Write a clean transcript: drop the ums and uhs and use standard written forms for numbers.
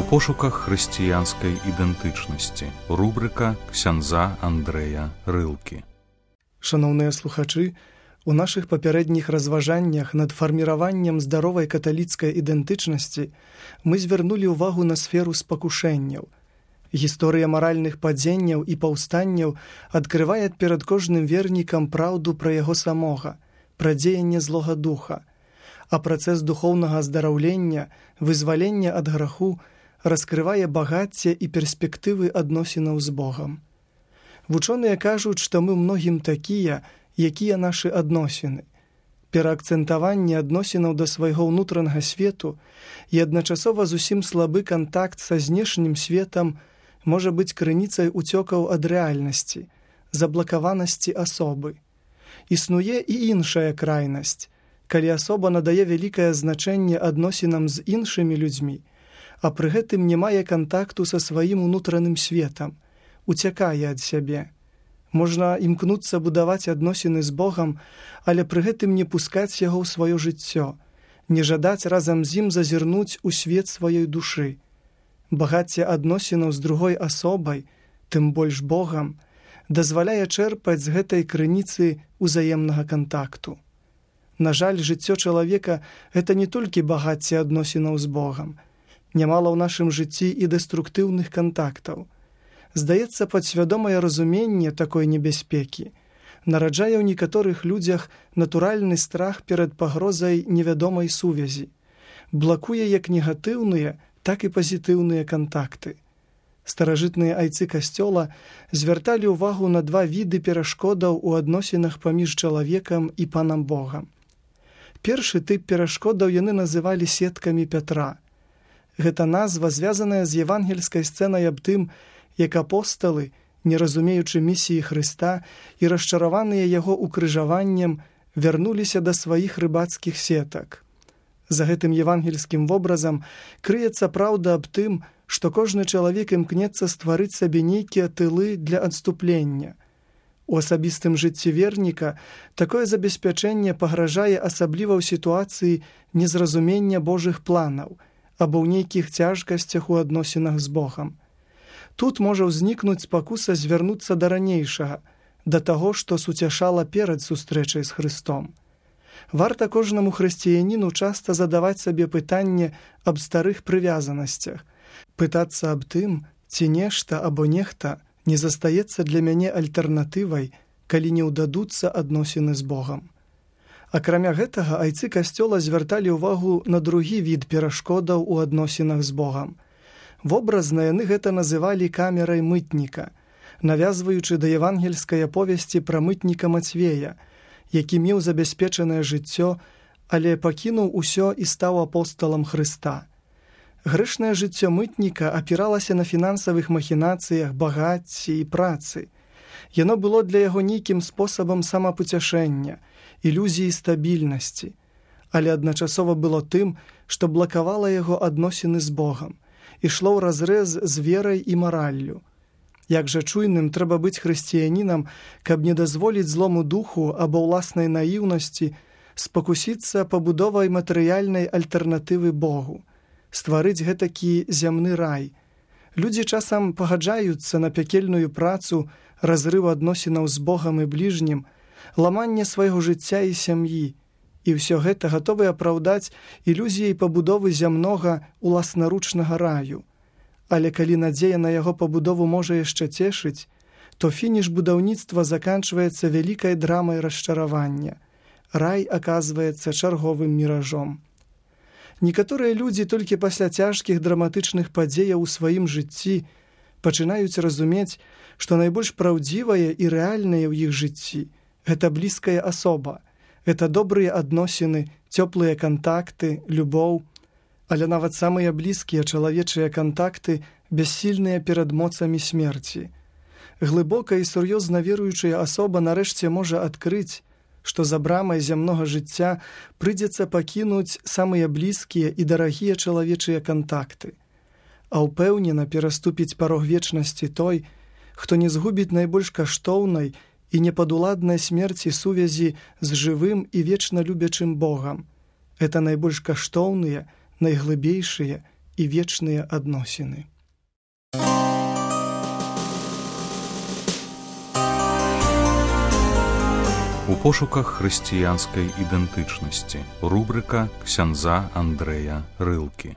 У пошуках хрысціянскай ідэнтычнасці. Рубрика ксяндза Андрэя Рылкі. Шановныя слухачы, у нашых папярэдніх разважаннях над фарміраваннем здаровай каталіцкай ідэнтычнасці мы звярнулі ўвагу на сферу спакушэнняў. Гісторыя маральных падзенняў і паўстанняў адкрывае перад кожным вернікам праўду пра яго самога, пра дзеянне злога духа, а працэс духоўнага аздараўлення, вызвалення ад граху раскрывае багацце і перспектывы адносінаў з Богам. Вучоныя кажуць, што мы многім такія, якія нашы адносіны. Пераакцэнтаванне адносінаў да свайго ўнутранага свету і адначасова зусім слабы кантакт са знешнім светам можа быць крыніцай уцёкаў ад рэальнасці, заблакаванасці асобы. Існуе і іншая крайнасць, калі асоба надае вялікае значэнне адносінам з іншымі людзьмі, а пры гэтым не мае кантакту са сваім унутраным светам, уцякае ад сябе. Можна імкнуцца будаваць адносіны з Богам, але пры гэтым не пускаць яго ў сваё жыццё, не жадаць разам з ім зазірнуць у свет сваёй душы. Багацце адносінаў з другой асобай, тым больш Богам, дазваляе чэрпаць з гэтай крыніцы ўзаемнага кантакту. На жаль, жыццё чалавека – гэта не толькі багацце адносінаў з Богам. Нямала ў нашым жыцці і дэструктыўных кантактаў. Здаецца, падсвядомае разуменне такой небяспекі нараджае ў некаторых людзях натуральны страх перад пагрозай невядомай сувязі, блакуе як негатыўныя, так і пазітыўныя кантакты. Старажытныя айцы касцёла звярталі ўвагу на два віды перашкодаў у адносінах паміж чалавекам і панам Богам. Першы тып перашкодаў яны называлі сеткамі Пятра. Гэта назва звязаная з евангельскай сцэнай аб тым, як апосталы, не разумеючы місіі Хрыста і расчараваныя яго укрыжаваннем, вярнуліся да сваіх рыбацкіх сетак. За гэтым евангельскім вобразам крыецца праўда аб тым, што кожны чалавек імкнецца стварыць сабе нейкія тылы для адступлення. У асабістым жыцці верніка такое забеспячэнне пагражае асабліва ў сітуацыі незразумення Божых планаў або ў нейкіх цяжкасцях у адносінах з Богам. Тут можа ўзнікнуць спакуса звярнуцца да ранейшага, да таго, што суцяшала перад сустрэчай з Хрыстом. Варта кожнаму хрысціяніну часта задаваць сабе пытанне аб старых прывязанасцях, пытацца аб тым, ці нешта або нехта не застаецца для мяне альтэрнатывай, калі не ўдадуцца адносіны з Богам. Акрамя гэтага, айцы касцёла звярталі ўвагу на другі від перашкодаў у адносінах з Богам. Вобразна яны гэта называлі камерай мытніка, навязваючы да евангельскай аповесці пра мытніка Мацвея, які меў забяспечанае жыццё, але пакінуў усё і стаў апосталам Хрыста. Грэшнае жыццё мытніка апіралася на фінансавых махінацыях, багацці і працы. Яно было для яго нейкім спосабам самапуцяшэння, ілюзіі стабільнасці, але адначасова было тым, што блакавала яго адносіны з Богам, ішло ўразрэз з верай і мараллю. Як жа чуйным трэба быць хрысціянінам, каб не дазволіць злому духу або ўласнай наіўнасці спакусіцца пабудовай матэрыяльнай альтэрнатывы Богу, стварыць гэтакі зямны рай. Людзі часам пагаджаюцца на пякельную працу, разрыв адносінаў з Богам і бліжнім, ламанне свайго жыцця і сям'і, і ўсё гэта гатовы апраўдаць ілюзіяй пабудовы зямнога уласнаручнага раю. Але калі надзея на яго пабудову можа яшчэ цешыць, то фініш будаўніцтва заканчваецца вялікай драмай расчаравання. Рай аказваецца чарговым міражом. Некаторыя людзі толькі пасля цяжкіх драматычных падзеяў у сваім жыцці пачынаюць разумець, што найбольш праўдзівае і рэальнае ў іх жыцці – гэта блізкая асоба, гэта добрыя адносіны, цёплыя кантакты, любоў, але нават самыя блізкія чалавечыя кантакты бяссільныя перад моцамі смерці. Глыбока і сур'ёзна веруючая асоба нарэшце можа адкрыць, што за брамай зямнога жыцця прыйдзецца пакінуць самыя блізкія і дарагія чалавечыя кантакты. А ўпэўнена пераступіць парог вечнасці той, хто не згубіць найбольш каштоўнай і непадуладнай смерці сувязі з жывым і вечна любячым Богам. Гэта найбольш каштоўныя, найглыбейшыя і вечныя адносіны. У пошуках хрысціянскай ідэнтычнасці. Рубрыка ксяндза Андрэя Рылкі.